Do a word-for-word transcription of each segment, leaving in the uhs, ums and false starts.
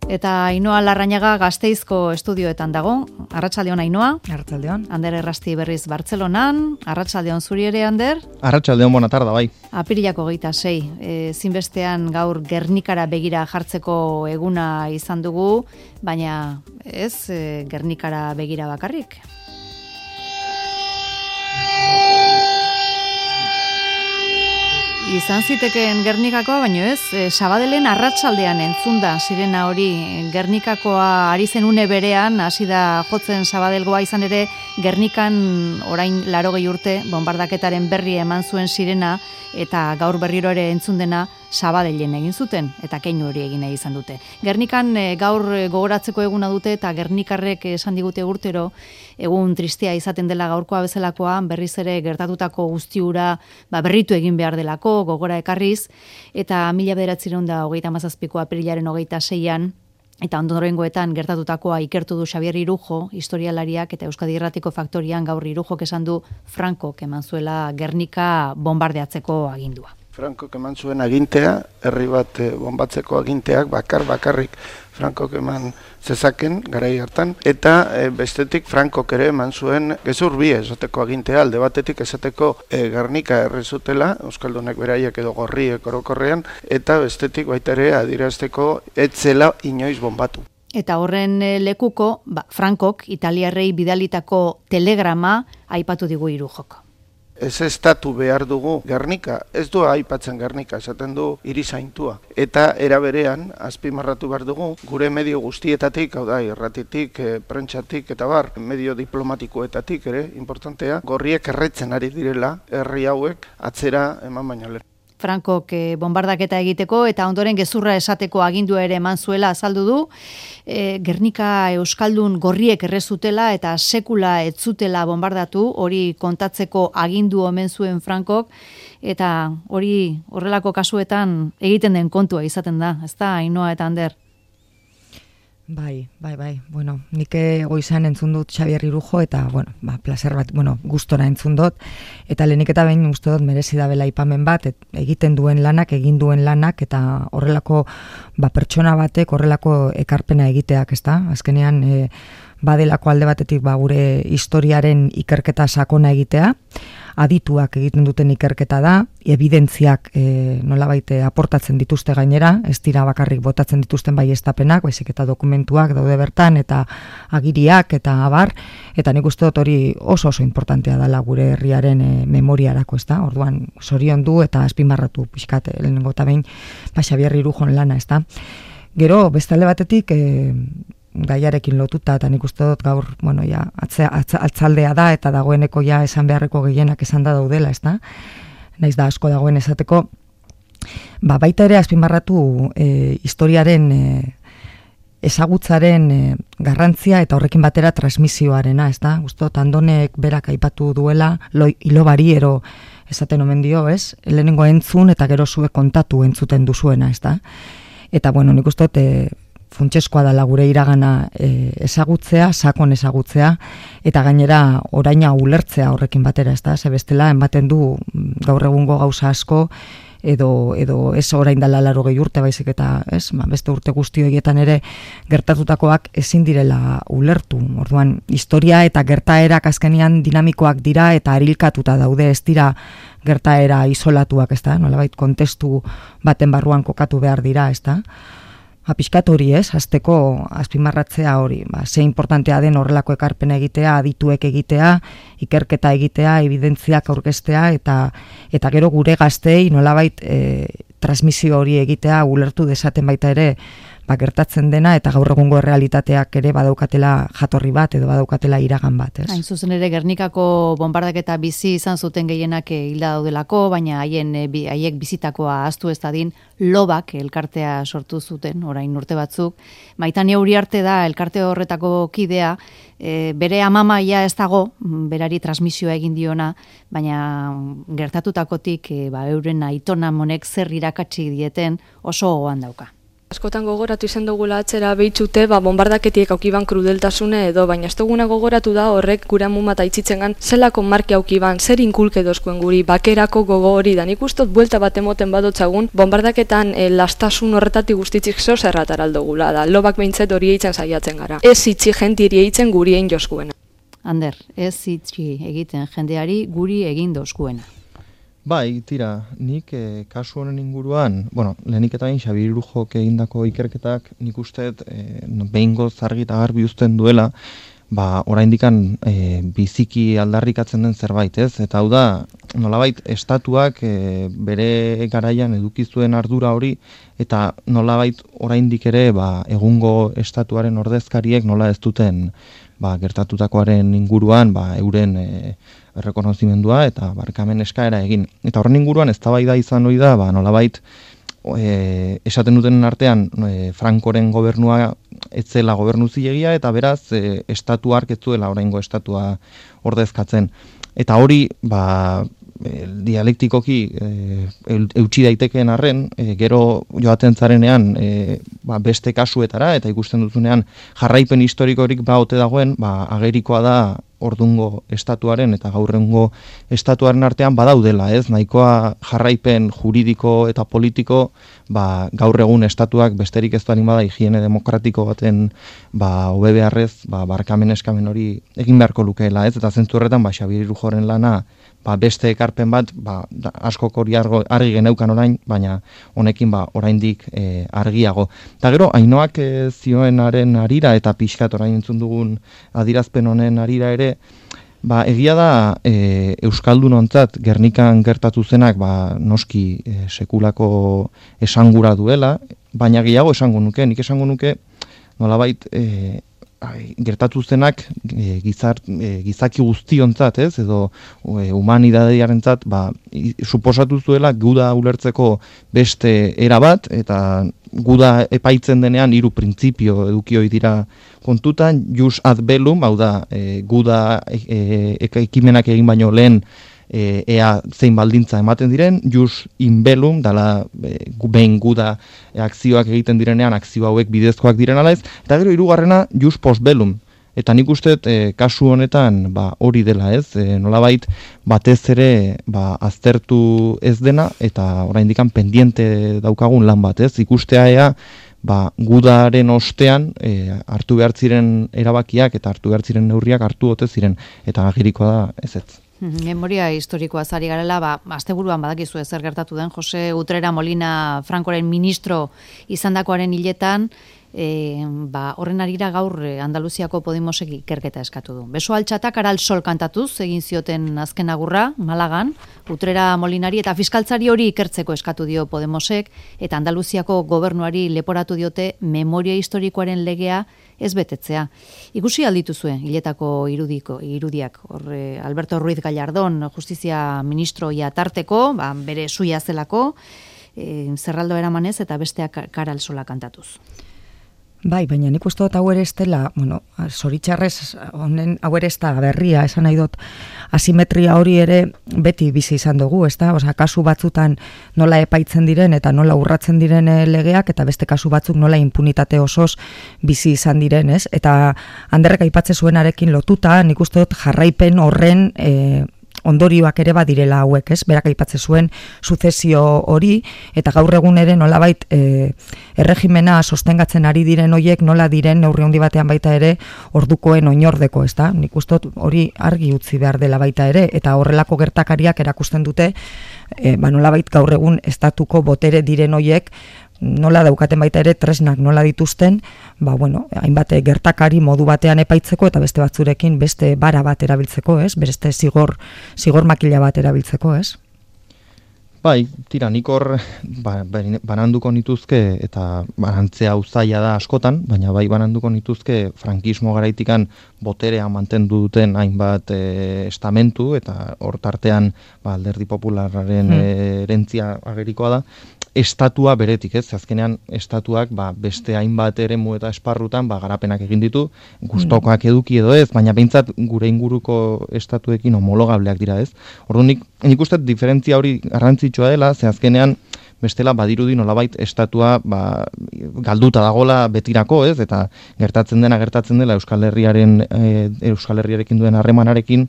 Eta Ainhoa Larrañaga Gasteizko estudioetan dago. Arratsaldeon Ainhoa. Arratsaldeon. Ander Errasti berriz Bartzelonan. Arratsaldeon zuri ere, Ander. Arratsaldeon, bona tarda, bai. Apirilako hogeita sei. E, zinbestean gaur Gernikara begira jartzeko eguna izan dugu, baina ez e, Gernikara begira bakarrik. Izan zitekeen Gernikakoa, baino ez, e, Sabadellen arratsaldean entzunda sirena hori. Gernikakoa ari zen une berean, hasi da jotzen Sabadelgoa, izan ere Gernikan orain laurogei urte bombardaketaren berri eman zuen sirena, eta gaur berriro ere entzun dena Sabadellen egin zuten, eta keinu hori egin nahi izan dute. Gernikan e, gaur gogoratzeko eguna dute, eta Gernikarrek esan digute urtero, egun tristea izaten dela gaurkoa bezalakoa, berriz ere gertatutako guztiura ba, berritu egin behar delako, gogora ekarriz, eta mila bederatziehun eta hogeita hamazazpiko apirilaren hogeita seian, eta ondorengoetan gertatutakoa ikertu du Xabier Irujo, historialariak, eta Euskadi Irratiko Faktorian gaur Irujok esan du Frankok eman zuela Gernika bombardeatzeko agindua. Frankok eman zuen agintea, herri bat bombatzeko aginteak bakar bakarrik Frankok eman zezaken garai hartan, eta e, bestetik Frankok ere eman zuen gezur bi esateko agintea, alde batetik esateko e, Gernika errezutela, euskaldunek beraiek edo gorriek orokorrean, eta bestetik baita ere adierazteko etzela inoiz bombatu. Eta horren lekuko, ba, Frankok italiarrei bidalitako telegrama aipatu digu Irujok. Ez estatu behar dugu Gernika, ez du aipatzen Gernika, esaten du hiri zaintua. Eta era berean, azpimarratu behar dugu, gure medio guztietatik, hau da, irratitik, e, prentsatik eta bar, medio diplomatikoetatik ere, importantea, gorriek erretzen ari direla, herri hauek atzera eman baino lehen. Frankok e, bombardaketa egiteko eta ondoren gezurra esateko agindua ere eman zuela azaldu du. E, Gernika euskaldun gorriek errezutela eta sekula ez zutela bombardatu, hori kontatzeko agindu omen zuen Frankok, eta hori horrelako kasuetan egiten den kontua izaten da, ezta Ainhoa eta Ander? Bai, bai, bai. Bueno, nik goizan entzun dut Xabier Irujo eta, bueno, ba, placer bat, bueno, gustora entzun dut. Eta lehenik eta behin uste dut merezi da bela aipamen bat, et, egiten duen lanak, egin duen lanak, eta horrelako, ba, pertsona batek horrelako ekarpena egiteak, ezta? Azkenean, e, badelako alde batetik, ba, gure historiaren ikerketa sakona egitea, adituak egiten duten ikerketa da, ebidentziak e, nolabait aportatzen dituzte gainera, ez dira bakarrik botatzen dituzten baieztapenak, baizik eta dokumentuak daude bertan, eta agiriak, eta abar, eta nik uste dut hori oso oso importantea dela gure herriaren e, memoriarako, ez da? Orduan, sorion du eta azpimarratu pixkat, lehenengo eta behin, ba, Xabier Irujon lana, ez da? Gero, bestalde batetik, e, gaiarekin lotuta, eta nik uste dut gaur, bueno, ja, atzea, atza, atzaldea da, eta dagoeneko ja esan beharreko gehienak esan da daudela, ez da? Naiz da asko dagoen esateko, ba, baita ere azpimarratu e, historiaren e, ezagutzaren e, garrantzia eta horrekin batera transmisioarena, ez da? Uste dut Andonek berak aipatu duela, lo, ilobari ero esaten omen dio, ez? Lehenengo entzun eta gero zuek kontatu entzuten duzuena, ez da? Eta, bueno, nik uste dut, e, funtseskoa dela gure iragana e, ezagutzea, sakon ezagutzea, eta gainera oraina ulertzea horrekin batera, ez da? Ze bestela, ematen du gaur egungo gauza asko, edo, edo ez orain dela laurogei urte baizik eta ez, ba, beste urte guzti horietan ere gertatutakoak ezin direla ulertu. Orduan, historia eta gertaerak azkenean dinamikoak dira eta arilkatuta daude, ez dira gertaera isolatuak, ez da? Nolabait kontestu baten barruan kokatu behar dira, ez da? Apiskat hori ez, azteko azpimarratzea hori, ba, ze importantea den horrelako ekarpena egitea, adituek egitea, ikerketa egitea, evidentziak aurkeztea, eta eta gero gure gaztei nolabait e, transmisio hori egitea, ulertu dezaten baita ere, ba, gertatzen dena, eta gaur egungo errealitateak ere badaukatela jatorri bat, edo badaukatela iragan bat, ez? Hain zuzen ere Gernikako bombardaketa bizi izan zuten gehienak hilda daudelako, baina haien haiek bizitakoa ahaztu ez dadin, Lobak elkartea sortu zuten, orain urte batzuk. Maitane Uriarte da elkarte horretako kidea, e, bere amamaia ez dago, berari transmisioa egin diona, baina gertatutakotik e, ba, euren aitona monek zer irakatsi dieten oso gogoan dauka. Askotan gogoratu izan dugula atzera behitzute, ba, bombardaketiek aukiban krudeltasune edo, baina ez duguna gogoratu da horrek gure amumata itzitzengan zelako marki aukiban, zer inkulke dozkuen guri, bakerako gogo hori da. Nik ustot buelta bat emoten badotzagun, bombardaketan e, lastasun horretatik guztitzik zo zerrataraldo gula da. Lobak behintzet hori eitzen saiatzen gara. Ez itxi jentiri eitzen guri egin joskuena. Ander, ez itxi egiten jendeari guri egin dozkuena. Bai, tira, nik eh, kasu honen inguruan, bueno, lehenik eta bain Xabier Irujok egindako ikerketak nik usteet eh, behingoz argi eta garbi uzten duela, ba, oraindikan eh, biziki aldarrikatzen den zerbait, ez? Eta hau da, nolabait, estatuak eh, bere garaian eduki zuen ardura hori, eta nolabait oraindik ere ba, egungo estatuaren ordezkariek nola ez duten ba, gertatutakoaren inguruan ba, euren e, errekonozimendua eta barkamen eskaera egin. Eta horren inguruan eztabaida izan hori da, ba, nolabait e, esaten duten artean e, Frankoren gobernua etzela gobernu zilegia eta beraz e, estatu hark ez zuela oraingo estatua ordezkatzen. Eta hori, ba, e, dialektikoki e, eutsi daitekeen arren, e, gero joaten zarenean e, ba, beste kasuetara eta ikusten duzunean jarraipen historikorik ba ote dagoen, ba, agerikoa da ordungo estatuaren eta gaurrengo estatuaren artean badaudela, ez? Nahikoa jarraipen juridiko eta politiko ba, gaur egun estatuak besterik ez duanik bada higiene demokratiko baten ba, hobe beharrez ba, barkamen eskamen hori egin beharko lukeela, ez? Eta zentzu horretan ba, Xabier Irujoren lana ba, beste ekarpen bat ba, askok hori argi geneukan orain, baina honekin ba, oraindik e, argiago. Eta gero, Ainoak e, zioenaren arira eta pixkat orain entzun dugun adirazpen honen arira ere, ba, egia da e, Euskaldunontzat Gernikan gertatu zenak ba, noski e, sekulako esangura duela, baina gehiago esango nuke, nik esango nuke nolabait e, gertatu zenak e, gizar, e, gizaki guztiontzat, ez, edo e, humanidadeiarentzat, ba, i, suposatu zuela guda ulertzeko beste era bat, eta guda epaitzen denean hiru printzipio eduki ohi dira kontutan, jus ad bellum, hau da, e, guda e, e, ekimenak egin baino lehen E, ea zein baldintza ematen diren, jus in bellum, dala e, behin guda e, akzioak egiten direnean, akzio hauek bidezkoak diren ala ez, eta gero hirugarrena jus post bellum. Eta nik uste e, kasu honetan ba, hori dela ez, e, nolabait batez ere ba, aztertu ez dena, eta oraindikan pendiente daukagun lan bat ez, ikustea ea, ba, gudaren ostean e, hartu behar ziren erabakiak eta hartu behar ziren neurriak hartu ote ziren, eta agirikoa da ez ez. Memoria historikoa zari garela, ba, asteburuan badakizu zer gertatu den, Jose Utrera Molina Frankoren ministro izandakoaren hiletan, e, ba, horren arira gaur Andaluziako Podemosek ikerketa eskatu du. Beso altxatak aral sol kantatuz, egin zioten azken agurra, Malagan, Utrera Molinari eta fiskaltzari hori ikertzeko eskatu dio Podemosek, eta Andaluziako gobernuari leporatu diote memoria historikoaren legea ez betetzea. Ikusi aldituzue hiletako irudiko irudiak, hor Alberto Ruiz Gallardón justizia ministroia tarteko, ba, bere suia zelako, e, zerraldo eramanez eta besteak karal sola kantatuz. Bai, baina nik uste dut hau ere ez dela, bueno, zoritxarrez honen hau ere ez da berria, esan nahi dut asimetria hori ere beti bizi izan dugu, ez da? Osa, kasu batzutan nola epaitzen diren eta nola urratzen diren legeak, eta beste kasu batzuk nola impunitate osoz bizi izan diren, ez? Eta Anderrek aipatze zuenarekin lotuta, nik uste dut jarraipen horren e, ondorioak ere badirela hauek, ez? Berak aipatze zuen suzesio hori, eta gaur egun ere nolabait e, erregimena sostengatzen ari diren hoiek nola diren neurri handi batean baita ere ordukoen oinordeko, ez da? Nik uste dut hori argi utzi behar dela baita ere, eta horrelako gertakariak erakusten dute e, ba, nolabait gaur egun estatuko botere diren hoiek nola daukaten baita ere tresnak nola dituzten, ba bueno, hainbat gertakari modu batean epaitzeko eta beste batzurekin beste bara bat erabiltzeko, ez? Beste zigor zigor makila bat erabiltzeko, ez? Bai, tira, nik hor ba, bananduko nituzke, eta banantzea uzaila da askotan, baina bai bananduko nituzke frankismo garaitikan boterea mantendu duten hainbat e, estamentu, eta hor tartean ba, Alderdi Popularraren hmm. e, herentzia agerikoa da, estatua beretik, ez? Azkenean estatuak ba, beste hainbat eremu eta esparrutan ba, garapenak egin ditu, gustokoak eduki edo ez, baina behintzat gure inguruko estatuekin homologableak dira, ez? Orduan nik, nik uste diferentzia hori garrantzitsua dela, ze azkenean bestela badirudi nolabait estatua ba, galduta dagola betirako, ez? Eta gertatzen dena gertatzen dela Euskal Herriaren e, Euskal Herriarekin duen harremanarekin,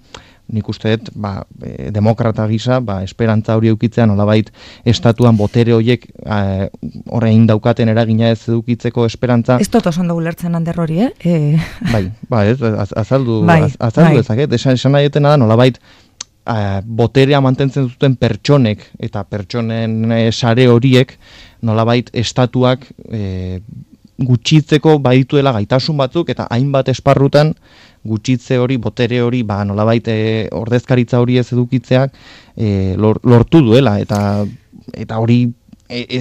nik uste dut, ba, e, demokrata gisa, ba, esperantza hori eukitzea nolabait estatuan botere horiek e, orain daukaten eragina ez edukitzeko esperantza. Ez dut oso ondo ulertzen Ander hori, eh? E... Bai, ba, ez, az, azaldu, bai, az, azaldu bai. ezaket, esan, esan nahi etena da nolabait Uh, boterea mantentzen zuten pertsonek eta pertsonen e, sare horiek nolabait estatuak e, gutxitzeko badituela gaitasun batzuk eta hainbat esparrutan gutxitze hori, botere hori, ba, nolabait e, ordezkaritza hori ez edukitzeak e, lor, lortu duela eta eta hori E, e,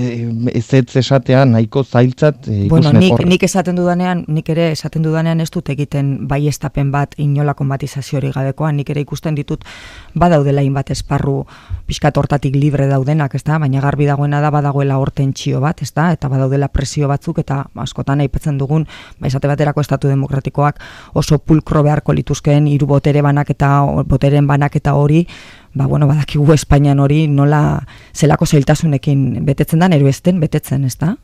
ez ez esatea nahiko zailtzat e, bueno, nik, nik esaten dudanean, nik ere esaten dudanean ez dut egiten baiestapen bat inolako matizaziorik gabekoa, nik ere ikusten ditut badaudela hainbat esparru pixkat hortatik libre daudenak, ezta? Baina garbi dagoena da badagoela hor tentsio bat, ezta? Eta badaudela presio batzuk eta askotan aipatzen dugun, ba esate baterako estatu demokratikoak oso pulkro beharko lituzkeen hiru botere banaketa, boteren banaketa hori, ba, bueno, badakigu Espainian hori nola zelako zailtasunekin betetzen da, nero ezten betetzen, ez da?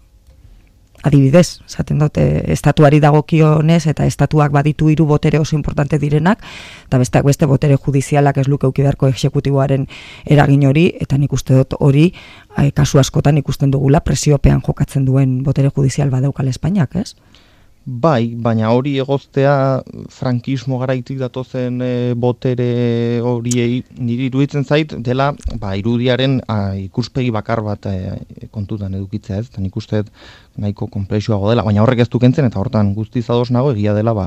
Adibidez, esaten dute, estatuari dagokionez eta estatuak baditu hiru botere oso importante direnak, eta besteak beste botere judizialak ez luke euki beharko exekutiboaren eragin hori, eta nik uste dut hori, kasu askotan ikusten dugula presiopean jokatzen duen botere judizial badaukal Espainiak, ez? Bai, baina hori egoztea frankismo garaitik datozen e, botere horiei niri iruditzen zait dela ba, irudiaren a, ikuspegi bakar bat e, kontutan edukitzea, ez? Eta nik uste nahiko konplexuago dela, baina horrek ez du kentzen eta hortan guztiz ados nago egia dela ba,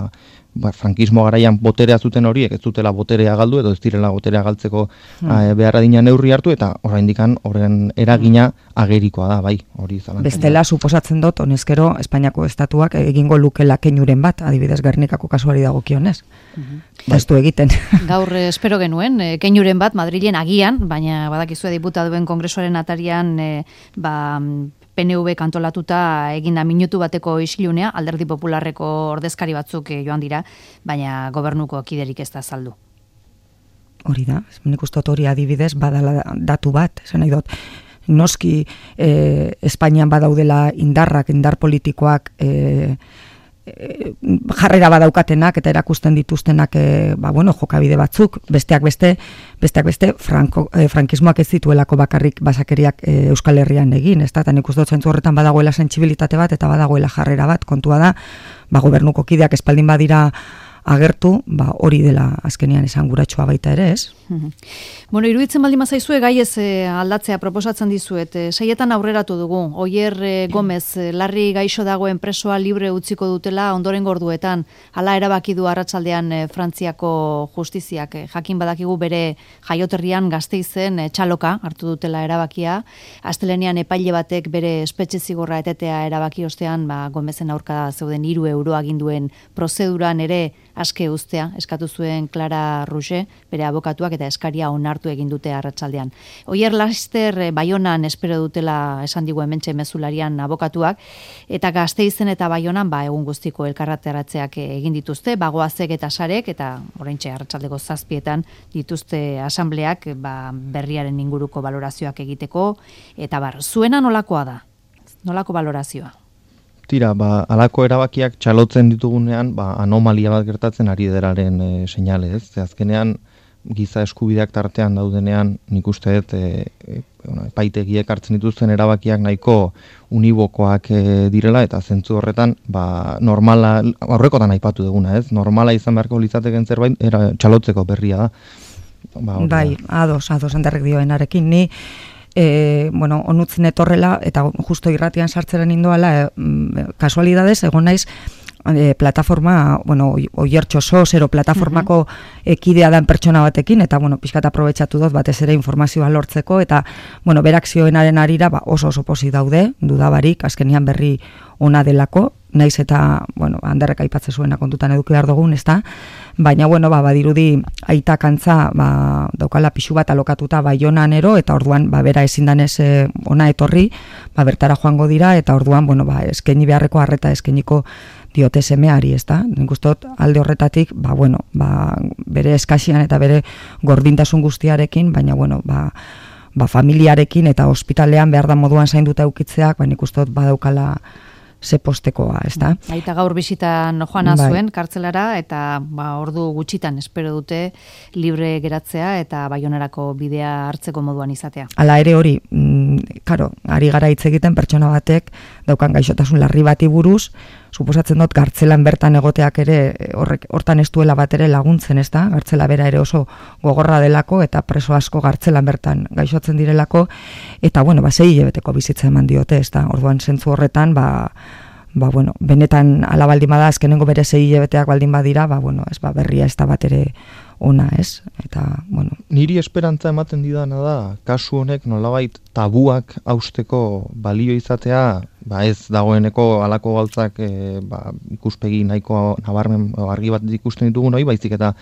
ba, frankismo garaian boterea zuten horiek ez dutela boterea galdu edo ez direla boterea galtzeko hmm. a, behar adina neurri hartu eta oraindikan horren eragina agerikoa da, bai, hori zalantzen. Bestela, suposatzen dut, honezkero, Espainiako estatuak egingo lukela keinuren bat, adibidez Gernikako kasuari dagokionez. Mm-hmm. Ez du egiten. Gaur eh, espero genuen, eh, keinuren bat Madrilen agian, baina badakizue diputatuen kongresuaren atarian eh, ba, P N V kantolatuta eginda minutu bateko isilunea, Alderdi Popularreko ordezkari batzuk eh, joan dira, baina gobernuko kiderik ez da saldu. Hori da, nik uste dut hori adibidez badala datu bat, esan nahi dut. Noski eh, Espainian badaudela indarrak, indar politikoak eh, eh, jarrera badaukatenak eta erakusten dituztenak eh, ba, bueno, jokabide batzuk, besteak beste, besteak beste franko, eh, frankismoak ez zituelako bakarrik basakeriak eh, Euskal Herrian egin, ez da, eta nik uste dut zentzu horretan badagoela sentsibilitate bat eta badagoela jarrera bat, kontua da, ba, gobernuko kideak espaldin badira agertu, ba, hori dela azkenean esanguratsua baita ere, ez? Bueno, iruditzen baldin bazaizue gai ez eh, aldatzea proposatzen dizuet. Eh, seietan aurreratu dugu. Oier eh, Gomez, eh, larri gaixo dagoen presoa libre utziko dutela ondoren gorduetan. Hala erabaki du arratsaldean eh, Frantziako justiziak. Eh, jakin badakigu bere jaioterrian Gasteizen eh, txaloka hartu dutela erabakia. Astelenean epaile batek bere espetxe zigorra etetea erabaki ostean, ba, Gomezen aurka zeuden hiru euro aginduen prozeduran ere aske uztea eskatu zuen Clara Rouget, bere abokatuak eta eskaria onartu egin dute arratsaldean. Oier Laster Baionan espero dutela esan digu hementxe mezularian abokatuak, eta Gasteizen eta Baionan ba, egun guztiko elkarrateratzeak egin dituzte, bagoazek eta sarek, eta oraintxe arratsaldeko zazpietan dituzte asambleak ba, berriaren inguruko balorazioak egiteko, eta bar, zuena nolakoa da? Nolako balorazioa? Tira, ba, alako erabakiak txalotzen ditugunean, ba, anomalia bat gertatzen ari deraren e, seinale, ez? Ze azkenean, giza eskubideak tartean daudenean, nik uste dut, e, e, bueno, epaitegiek hartzen dituzten erabakiak nahiko unibokoak e, direla, eta zentzu horretan, ba, normala, aurrekotan aipatu duguna, ez? Normala izan beharko litzateken zerbait, era, txalotzeko berria da. Ba, bai, ados, ados, handerrek dioenarekin, ni, E, bueno, onutzen etorrela eta justo irratian sartzeren indoala e, kasualidades egon naiz e, plataforma, bueno, Oiertxo sos, ero plataformako uh-huh. ekidea dan pertsona batekin, eta, bueno, pixkat aprobetxatu dut batez ere informazioa lortzeko, eta, bueno, berak zioenaren arira, ba, oso oso pozik daude, dudabarik, azkenian berri ona delako, naiz eta, bueno, handerrek aipatze zuena kontutan eduki behar dugun, ezta? Baina, bueno, ba, badirudi aitak antza, ba, daukala pixu bat alokatuta Baionan ero, eta orduan, ba, bera ezin danez e, ona etorri, ba, bertara joango dira, eta orduan, bueno, ba, eskaini beharreko arreta eskainiko diote semeari, ezta? Nik uste dut alde horretatik, ba, bueno, ba, bere eskasian eta bere gordintasun guztiarekin, baina, bueno, ba, ba, familiarekin eta ospitalean behar da moduan zainduta eukitzeak, ba, nik uste dut badaukala ze postekoa, ez da? Aita gaur bisitan joana bai. Zuen, kartzelara, eta ba, ordu gutxitan espero dute libre geratzea eta Baionarako bidea hartzeko moduan izatea. Hala ere hori, mm, karo, ari gara hitz egiten pertsona batek daukan gaixotasun larri bati buruz, suposatzen dut gartzelan bertan egoteak ere horrek hortan ez duela bat ere laguntzen, ez da? Gartzela bera ere oso gogorra delako eta preso asko gartzelan bertan gaixotzen direlako eta bueno, ba sei hilabeteko bizitza eman diote, ez da? Orduan zentzu horretan, ba ba bueno, benetan ala baldin bada azkenengo bere sei hilabeteak baldin badira, ba bueno, ez ba berria ez da bat ere ona, ez? Eta bueno, niri esperantza ematen didana da kasu honek nolabait tabuak hausteko balio izatea, ba ez dagoeneko halako gauzak e, ba, ikuspegi nahiko nabarmen argi bat ikusten ditugun hori, baizik eta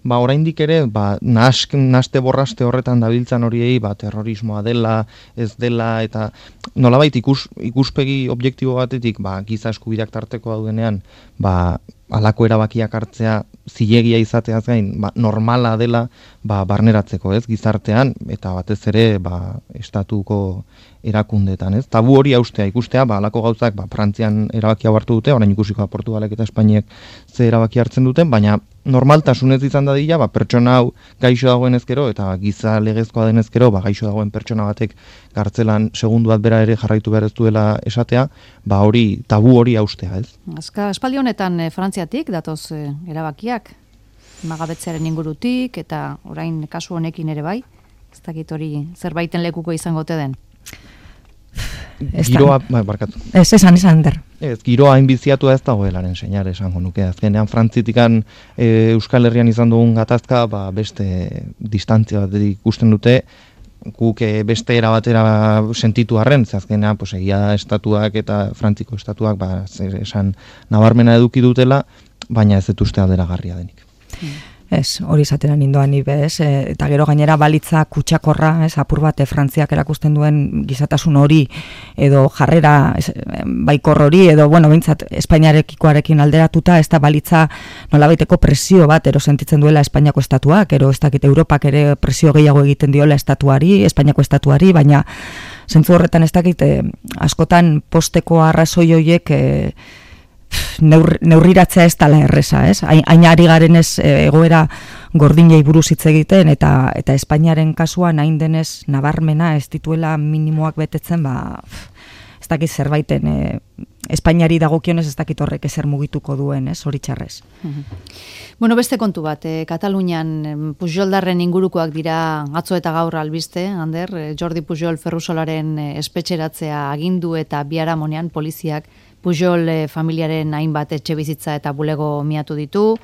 ba oraindik ere ba nask, naste borraste horretan dabiltzan horiei ba terrorismoa dela, ez dela eta nolabait ikus, ikuspegi objektibo batetik ba giza eskubideak tarteko daudenean ba halako erabakiak hartzea zilegia izateaz gain ba, normala dela ba, barneratzeko, ez, gizartean eta batez ere ba, estatuko erakundetan, ez? Tabu hori haustea, ikustea, ba halako gauzak ba Frantzian erabakia hartu dute, orain ikusiko Portugalek eta Espainiak ze erabaki hartzen duten, baina normaltasunez izan dadila, ba pertsona hau gaixo dagoen ezkero eta giza legezkoa den ezkero, ba gaixo dagoen pertsona batek gartzelan segundu bat bera ere jarraitu behar ez duela esatea, ba hori tabu hori haustea, ez? Azka espaldi honetan e, Frantziatik datoz e, erabakiak magabetzearen ingurutik eta orain kasu honekin ere bai, ez dakit hori zerbaiten lekuko izango ote den. Giroa, ba, barkatu. Ez, esan, esan, der. Ez, giroa inbiziatua ez dagoelaren seinale esango nuke. Azkenean Frantzitikan e, Euskal Herrian izan dugun gatazka, ba, beste distantzia bat ikusten dute, guk e, beste era batera sentitu arren, ze azkenean pues, egia estatuak eta Frantziko estatuak ba, esan nabarmena eduki dutela, baina ez dut uste alderagarria denik. Ez, hori izatera nindoan nibe, ez, e, eta gero gainera balitza kutsakorra, ez, apur bate Frantziak erakusten duen gizatasun hori, edo jarrera ez, baikor hori, edo, bueno, bintzat, Espainiarekikoarekin alderatuta, ez da balitza nolabaiteko presio bat, ero sentitzen duela Espainiako estatuak, ero ez dakit Europak ere presio gehiago egiten diola estatuari, Espainiako estatuari, baina zentzu horretan ez dakit, e, askotan posteko arrazoi horiek, e, Neur, neurriratzea ez dala erresa, ez? Hain ari garen ez egoera gordinei buruz hitz egiten eta eta Espainiaren kasuan hain denez nabarmena ez dituela minimoak betetzen, ba ez dakit zerbaiten e, Espainiari dagokionez ez dakit horrek ezer mugituko duen, ez? Zoritxarrez. Bueno, beste kontu bat, e, Katalunian Pujoldarren ingurukoak dira atzo eta gaur albiste, Ander, Jordi Pujol Ferrusolaren espetxeratzea agindu eta biharamonean poliziak Pujol eh, familiaren hainbat etxe bizitza eta bulego miatu ditu.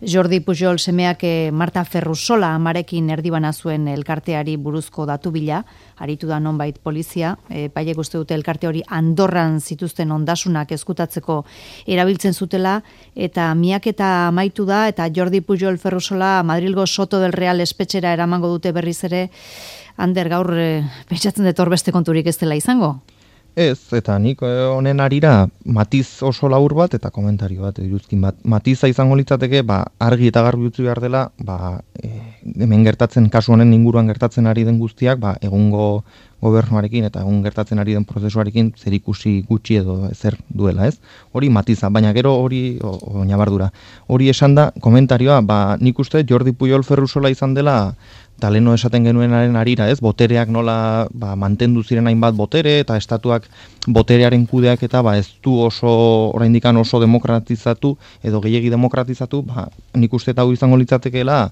Jordi Pujol semeak eh, Marta Ferrusola amarekin erdibana zuen elkarteari buruzko datu bila, aritu da nonbait polizia, e, paiek uste dute elkarte hori Andorran zituzten ondasunak ezkutatzeko erabiltzen zutela, eta miaketa amaitu da, eta Jordi Pujol Ferrusola Madrilgo Soto del Real espetxera eramango dute berriz ere. Ander, gaur e, pentsatzen dut hor beste konturik ez dela izango? Ez, eta nik honen arira matiz oso labur bat eta komentario bat iruzkin bat. Matiza izango litzateke, ba, argi eta garbi utzi behar dela, ba, e, hemen gertatzen, kasu honen inguruan gertatzen ari den guztiak, ba, egungo gobernuarekin eta egun gertatzen ari den prozesuarekin zerikusi gutxi edo ezer duela, ez? Hori matiza, baina gero hori oinabardura. Hori esan da, komentarioa, ba, nik uste Jordi Pujol Ferrusola izan dela eta leno esaten genuenaren arira, ez, botereak nola ba, mantendu ziren hainbat botere eta estatuak boterearen kudeak eta ba, ez du oso oraindikan oso demokratizatu edo gehiegi demokratizatu, ba, nik uste eta hau izango litzatekeela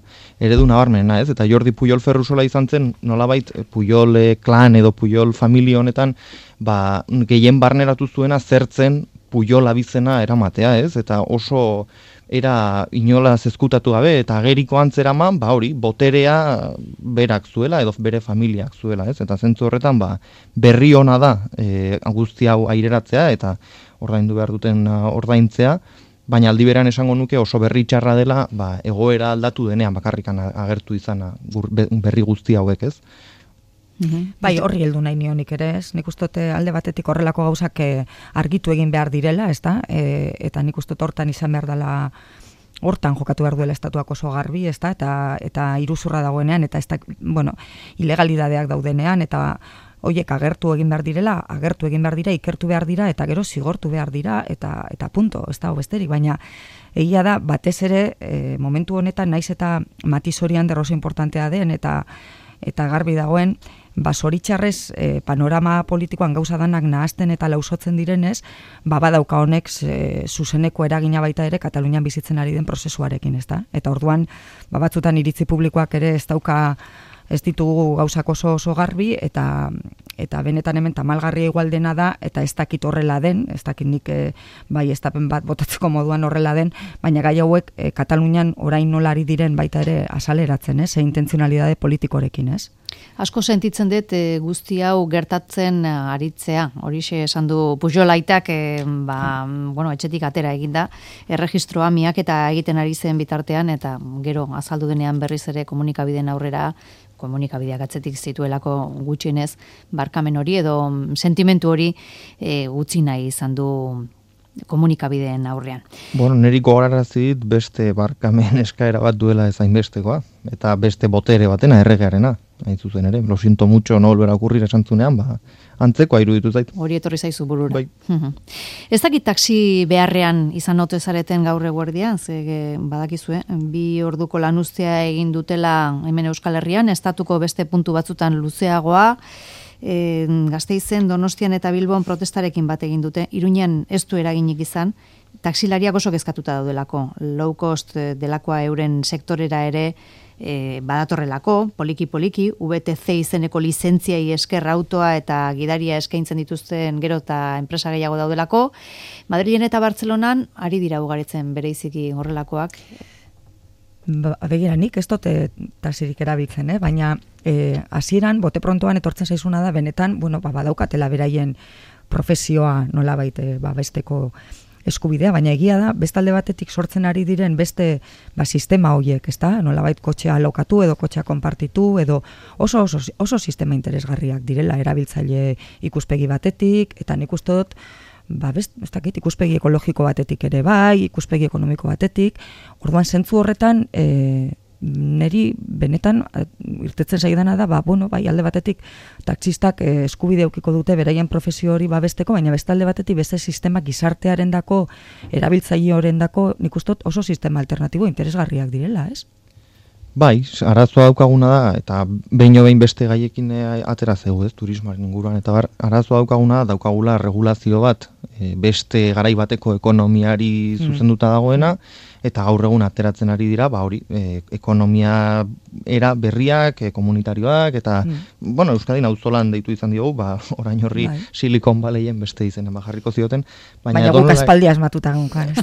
eredu nabarmena, ez, eta Jordi Pujol Ferrusola izan zen nolabait Pujol klan edo Pujol familia honetan ba, gehien barneratu zuena zertzen Pujol abizena eramatea, ez, eta oso era inola zezkutatu gabe eta ageriko antzeraman, ba hori, boterea berak zuela edo bere familiak zuela, ez? Eta zentzu horretan, ba, berri ona da e, guzti hau aireratzea eta ordaindu behar duten ordaintzea, baina aldi beran esango nuke oso berri txarra dela, ba, egoera aldatu denean bakarrikan agertu izana berri guzti hauek, ez? Mm-hmm. Bai, horri heldu nahi nionik ere, ez? Nik uste alde batetik horrelako gauzak argitu egin behar direla, ez da? E, eta nik uste hortan izan behar dela hortan jokatu behar duela estatuak oso garbi, ez da, eta, eta iruzurra dagoenean, eta ez da, bueno, ilegalidadeak daudenean, eta hoiek agertu egin behar direla, agertu egin behar dira, ikertu behar dira, eta gero zigortu behar dira, eta, eta punto, ez da, besterik, baina egia da, batez ere, e, momentu honetan, naiz eta matiz horian derroso importantea den, eta eta garbi dagoen, ba, zoritxarrez e, panorama politikoan gauza danak nahazten eta lausotzen direnez, ba, badauka honek e, zuzeneko eragina baita ere Katalunian bizitzen ari den prozesuarekin, ez da? Eta orduan, ba, batzutan iritzi publikoak ere ez dauka, ez ditugu gauzak oso oso garbi, eta eta benetan hemen tamalgarria igual dena da, eta ez dakit horrela den, ez dakit nik e, bai estapen bat botatzeko moduan horrela den, baina gai hauek e, Katalunian orain nolari diren baita ere asaleratzen, ez? E, intentzionalidade politikorekin, ez? Asko sentitzen dut e, guzti hau gertatzen aritzea. Horixe esan du Pujolaitak, e, ba, bueno, etxetik atera eginda, erregistroa miak eta egiten ari zen bitartean, eta gero azaldu denean berriz ere komunikabideen aurrera, komunikabideak atzetik zituelako gutxienez, barkamen hori edo sentimentu hori e, utzi nahi izan du komunikabideen aurrean. Bueno, niri gogorarazi dit beste barkamen eskaera bat duela ez hainbestekoa, eta beste botere batena, erregearena, hain zuzen ere, lo siento mucho, no volver a ocurrir esan zunean, ba, antzekoa iruditu zait. Hori etorri zaizu burura. Bai. Ez dakit taxi beharrean izan ote zareten gaur eguerdian, ze badakizue, bi orduko lanuztea egin dutela hemen Euskal Herrian, estatuko beste puntu batzutan luzeagoa, E, Gasteizen, Donostian eta Bilbon protestarekin bat egin dute, Iruñan ez du eraginik izan, taksilariak oso kezkatuta daudelako, low cost delakoa euren sektorera ere e, badatorrelako, poliki-poliki, V T C izeneko lizentziai esker autoa eta gidaria eskaintzen dituzten gero eta enpresa gehiago daudelako, Madrilen eta Bartzelonan ari dira ugaritzen bereiziki horrelakoak. Ba, begira, nik ez dute taxirik erabiltzen, eh? Baina eh, hasieran bote prontoan etortzen zaizuna da, benetan, bueno, ba, badaukatela beraien profesioa nolabait eh, ba, besteko eskubidea, baina egia da, bestalde batetik sortzen ari diren beste ba, sistema horiek, ez da? Nolabait kotxea alokatu edo kotxea konpartitu, edo oso, oso, oso sistema interesgarriak direla, erabiltzaile ikuspegi batetik, eta nik uste dut, ba, best, ez dakit, ikuspegi ekologiko batetik ere bai, ikuspegi ekonomiko batetik, orduan zentzu horretan, e, neri benetan irtetzen zaidana da, ba, bueno, bai, alde batetik taxistak e, eskubide eukiko dute beraien profesio hori babesteko, baina beste alde batetik beste sistema gizartearen dako, erabiltzaile horren dako, nik uste dut oso sistema alternatibo interesgarriak direla, ez? Bai, arazoa daukaguna da, eta behin behin beste gaiekin atera zegu, ez, turismoaren inguruan, eta bar, arazoa daukaguna da, daukagula regulazio bat, e, beste garai bateko ekonomiari zuzenduta dagoena, eta gaur egun ateratzen ari dira, ba hori, e, ekonomia era berriak, e, komunitarioak, eta, mm. bueno, Euskadin auzolan deitu izan diogu, ba, orain horri bai. Silicon Valleyen beste izena bajarriko zioten. Baina, baina guk aspaldi asmatuta gunkan.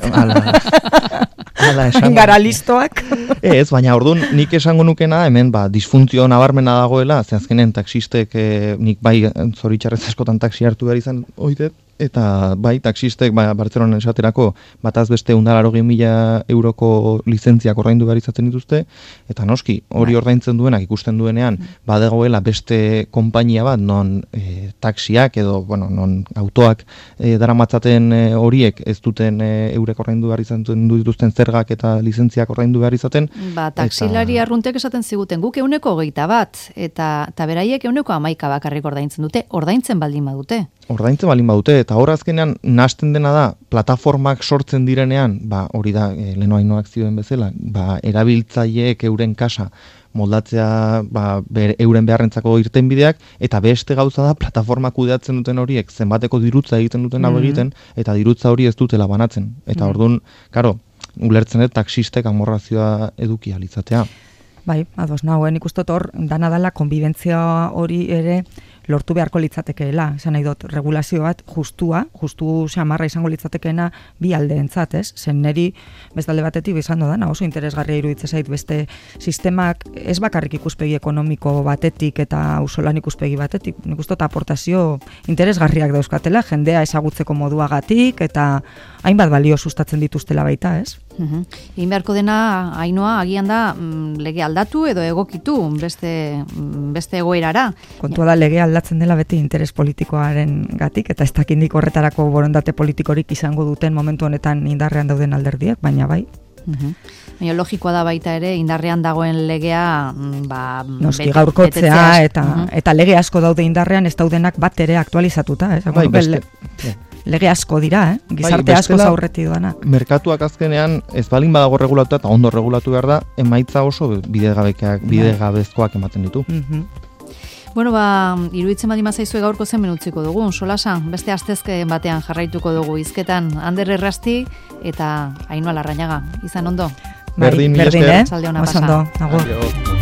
Ala, gara listoak. Ez, baina orduan nik esango nukena hemen ba, disfuntzio nabarmena dagoela, ze azkenen taxistek, e, nik bai zoritxarrez askotan taxi hartu behar izan oitet, eta bai, taxistek ba, Bartzelonan esaterako bataz beste ehun mila euroko lizentziak ordaindu behar izaten dituzte, eta noski, hori bai. Ordaintzen duenak ikusten duenean, badegoela beste konpainia bat, non e, taxiak edo, bueno, non autoak e, daramatzaten e, horiek ez duten e, eurek ordaindu behar izaten dituzten zergak eta lizentziak ordaindu behar izaten. Ba, taksilari eta... arruntek esaten ziguten, guk euneko hogeita bat, eta, eta beraiek euneko hamaika bakarrik ordaintzen dute, ordaintzen baldin badute. Ordaintzen baldin badute, eta hor azkenean nahasten dena da, plataformak sortzen direnean, ba, hori da, e, leheno hainoak zioen bezala, ba, erabiltzaileek euren kasa moldatzea ba, ber, euren beharrentzako irtenbideak, eta beste gauza da, plataformak kudeatzen duten horiek, zenbateko dirutza egiten duten hau mm-hmm. egiten, eta dirutza hori ez dutela banatzen. Eta mm-hmm. orduan, karo, ulertzen dut taxistek amorrazioa eduki alitzatea. Bai, ados nagoen ikustot hor, dana dala konbibentzia hori ere lortu beharko litzatekeela, esan nahi dut, regulazio bat justua, justu xamarra izango litzatekeena bi aldeentzat, ez? Zen neri bestalde batetik izango dana, oso interesgarria iruditzen zait beste sistemak ez bakarrik ikuspegi ekonomiko batetik eta auzolan ikuspegi batetik, nik uste dut aportazio interesgarriak dauzkatela, jendea ezagutzeko moduagatik eta hainbat balio sustatzen dituztela baita, ez? Uhum. Egin beharko dena, Ainoa, agian da lege aldatu edo egokitu beste, beste egoerara. Kontua da lege aldatzen dela beti interes politikoaren gatik, eta ez dakindik horretarako borondate politikorik izango duten momentu honetan indarrean dauden alderdiak, baina bai. Mhm. Baina logikoa da baita ere, indarrean dagoen legea, ba, noski gaurkotzea, eta, uh-huh. eta lege asko daude indarrean, ez daudenak bat ere aktualizatuta, eh? Bai, beste, le, lege asko dira, eh? Gizarte bai, asko zaurreti doana. Merkatuak azkenean, ez balin badago regulatuta, eta ondo regulatu behar da, emaitza oso bidegabezkoak ematen ditu. Uh-huh. Bueno, ba, iruditzen badi mazaizue gaurko zen menutziko dugu, solasan, beste astezke batean jarraituko dugu hizketan Ander Errasti eta Ainhoa Larrañaga. Izan ondo? Berdin, berdin, eh? Oso ondo, agur. Adio.